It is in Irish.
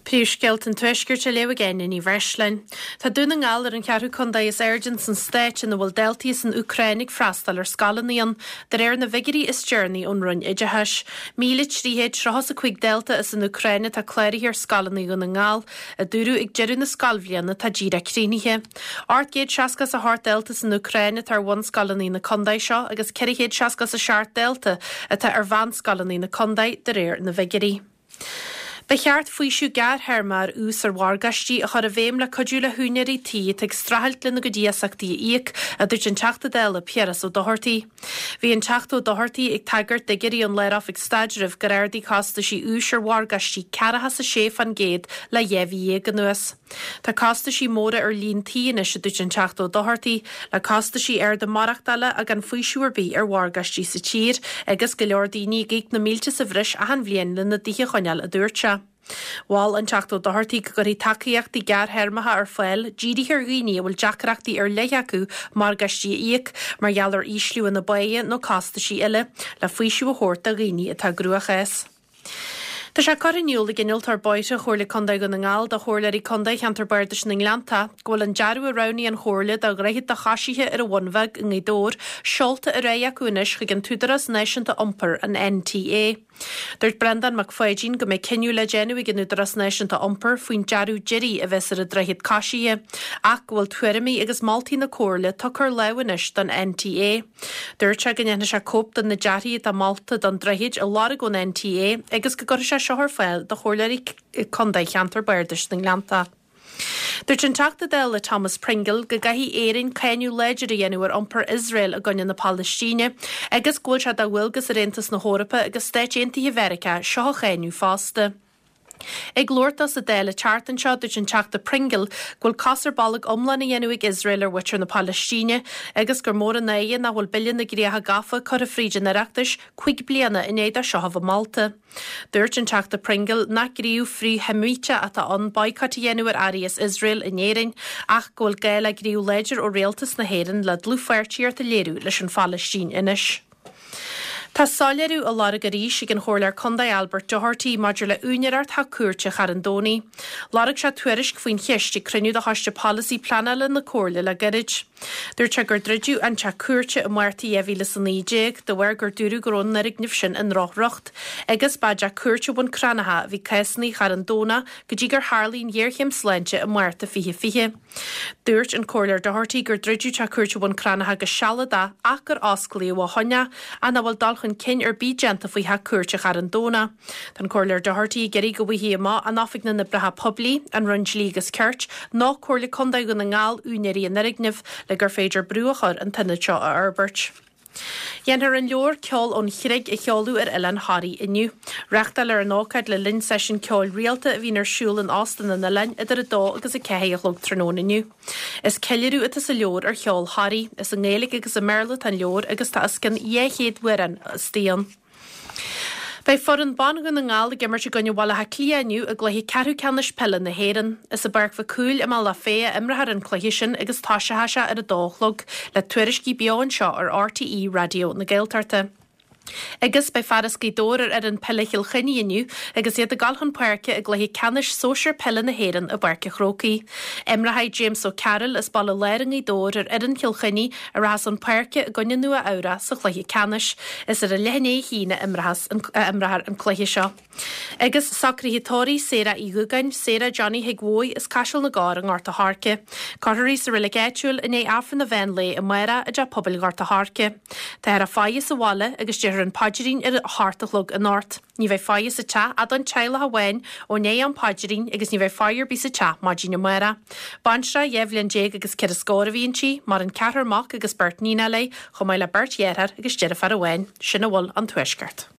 Príomhscéalta an Tuaiscirt á léamh ag Áine Ní Bhreisleáin. Tá Dún na nGall ar an cheathrú contae is airde ins an stát ina bhfuil daltaí as an Úcráin ag freastal ar scoileanna ann, de réir na bhfigiúirí is deireanaí ón Roinn Oideachais. 1,335 dalta as an Úcráin atá cláraithe ar scoileanna Dhún na nGall, a dúradh ag deireadh na scoilbhliana atá díreach críochnaithe. 868 dalta as an Úcráin atá ar bhunscoileanna na contae seo agus 467 dalta atá ar mheánscoileanna na contae, de réir na bhfigiúirí. Ba cheart faoiseamh gearrthéarma ar ús ar mhorgáistí a chur i bhfeidhm le cuidiú le húinéirí tí atá ag streachailt lena gcuid iasachtaí a íoc, a dúirt an Teachta Dála Piaras Ó Dochartaigh. Bhí an Teachta Ó Dochartaigh ag tagairt d'fhigiúirí ón Lár-Oifig Staidrimh gur ardaigh costaisí úis ar mhorgáistí ceathracha is a sé fán gcéad le 12 mhí anuas. Tá costaisí móra ar líon tí anois, a dúirt an Teachta Ó Dochartaigh, le costaisí arda maireachtála ach gan faoiseamh ar bith ar mhorgáistí sa tír agus go leor daoine ag íoc na mílte sa bhreis achan bhliain lena dtithe a choinneáil, a dúirt sé. Mhol an Teachta Ó Dochartaigh go gcuirfí tacaíochtaí gearrthéarmacha ar fáil dírithe ar dhaoine a bhfuil deacrachtaí ar leith acu morgáistí a íoc, mar gheall ar ísliú ina bpáighe nó costaisí eile, le faoiseamh a thabhairt do dhaoine atá i gcruachás. Tá sé curtha in iúl ag Innealtóir Bóithre Chomhairle Contae Dhún na nGall do Chomhairleoirí Contae Cheantar Bardais na nGleanntach go bhfuil an dearadh a roghnaigh an Chomhairle do dhroichead do choisithe ar an Bhun Bheag i nGaoth Dobhair seolta ar aghaidh acu anois chuig an tÚdarás Náisiúnta Iompair, an NTA. Dúirt Breandán Mac Pháidín go mbeidh cinneadh le déanamh ag an Údarás Náisiúnta Iompair faoin dearadh deiridh a bheas ar an droichead coisithe ach go bhfuil tuairimí agus moltaí na Comhairle tugtha ar lámh anois don NTA. Dúirt sé go ndéanfaidh sé cóip de na dearthaí atá molta don droichead a lorg ón NTA agus go gcuirfidh sé seo ar fáil do Chomhairleoirí Contae Cheantar Bardais na nGleanntach. Dúirt an Teachta Dála Thomas Pringle go gcaithfidh Éirinn cáineadh láidir a dhéanamh ar iompar Iosrael i gcoinne na Palaistíne agus go bhfuil sé de dhualgas ar Aontas na hEorpa agus Stáit Aontaithe Mheiriceá seo a cháineadh fosta. Ag labhairt dó sa Dáil an tseachtain seo, dúirt an Teachta Pringle go bhfuil cos ar bolg iomlán á dhéanamh ag Iosrael ar mhuintir na Palaistíne agus gur mór an náire nach bhfuil Bille na gCríocha Gafa curtha fríd an Oireachtas cuig bliana i ndiaidh dó seo a bheith molta. Dúirt an Teachta Pringle nach gníomh frith-Sheimíteach atá ann baghcat a dhéanamh ar earraí as Iosrael in Éirinn ach go bhfuil gá le gníomh láidir ó Rialtas na hÉireann le dlúthpháirtíocht a léiriú leis an Phalaistín anois. Tá soiléiriú á lorg arís ag an Chomhairleoir Contae Albert Doherty maidir le úinéireacht Theach Cúirte Charn Domhnaigh. Lorg sé tuairisc faoin cheist ag cruinniú de Choiste Polasaí Pleanála na Comhairle le gairid. Dúirt sé gur druideadh an Teach Cúirte i Márta 2019 de bharr gur dúradh go raibh an fhoirgneamh sin i ndrochriocht agus ba i dTeach Cúirte Bhun Cranncha a bhí cásanna Charn Domhnach go dtí gur tharlaigh an ghéarchéim sláinte i Márta 2020. Dúirt an Comhairleoir Doherty gur druideadh Teach Cúirte Bhun Cranncha go sealadach ach gur osclaíodh ó shoin é, ach nach bhfuil dul chun cinn ar bith déanta faoi Theach Cúirte Charn Domhnach. Tá an Comhairleoir Doherty ag iarraidh go bhfaighfí amach an Oifig na nOibreacha Poiblí, an Roinn Dlí agus Cirt nó Comhairle Contae Dhún na nGall úinéirí an fhoirgnimh le gur féidir brú a chur an t-ionad seo a fhorbairt. Dhéanfar an leabhar Ceol ón Chreig a sheoladh ar Oileán Thoraí inniu. Reáchtáilfear an ócáid le linn seisiún ceoil rialta a bhíonn ar siúl in Óstán an Oileáin idir 2 agus 4 a chlog tráthnóna inniu. Is ceiliúradh atá sa leabhar ar cheol Thoraí. Is i nGaeilge agus i mBéarla atá an leabhar agus tá os cionn 200 amhrán istigh ann. Beidh foireann ban Dhún na nGall ag imirt i gcoinne Bhaile Átha Cliath inniu i gcluiche ceathrú ceannais peile na hÉireann. Is i bPáirc Mhic Cumhaill i mBealach Féich a imreofar an cluiche sin agus toiseoidh sé ar a dó a chlog, le tuairiscí beo anseo ar RTÉ Raidió na Gaeltachta. Agus beidh fear as Gaoth Dobhair ar fhoireann peile Chill Chainnigh inniu agus iad ag dul chun páirce i gcluiche ceannais sóisir peile na hÉireann i bPáirc an Chrócaigh. Imreoidh James O'Carroll as Baile Láir i nGaoth Dobhair ar fhoireann Chill Chainnigh a rachas chun páirce i gcoinne Nua Eabhrac sa chluiche ceannais. Is ar a leath i ndiaidh a haon a imreofar an cluiche seo. Agus socruithe tórraimh Sarah Uí Dhúgáin, Sarah Johnny Thig Bhóidh as Caiseal na gCorr i nGort a' Choirce. Cuirfear í sa reilig áitiúil i ndiaidh Aifreann an mheán lae amárach i dTeach Pobail Ghort a' Choirce. Táthar á faire sa bhaile agus déarfar an paidrín ar a hocht a chlog anocht. Ní bheidh faire sa teach ach don teaghlach amháin ó ndiaidh am paidrín agus ní bheidh faire ar bith sa teach maidin amárach. Baintreach 12 bhliain agus ceithre scór a bhí inti, maireann ceathrar mac agus beirt níonacha léi, chomh maith le beirt dheartháir agus deirfiúr amháin. Sin a bhfuil ón Tuaisceart.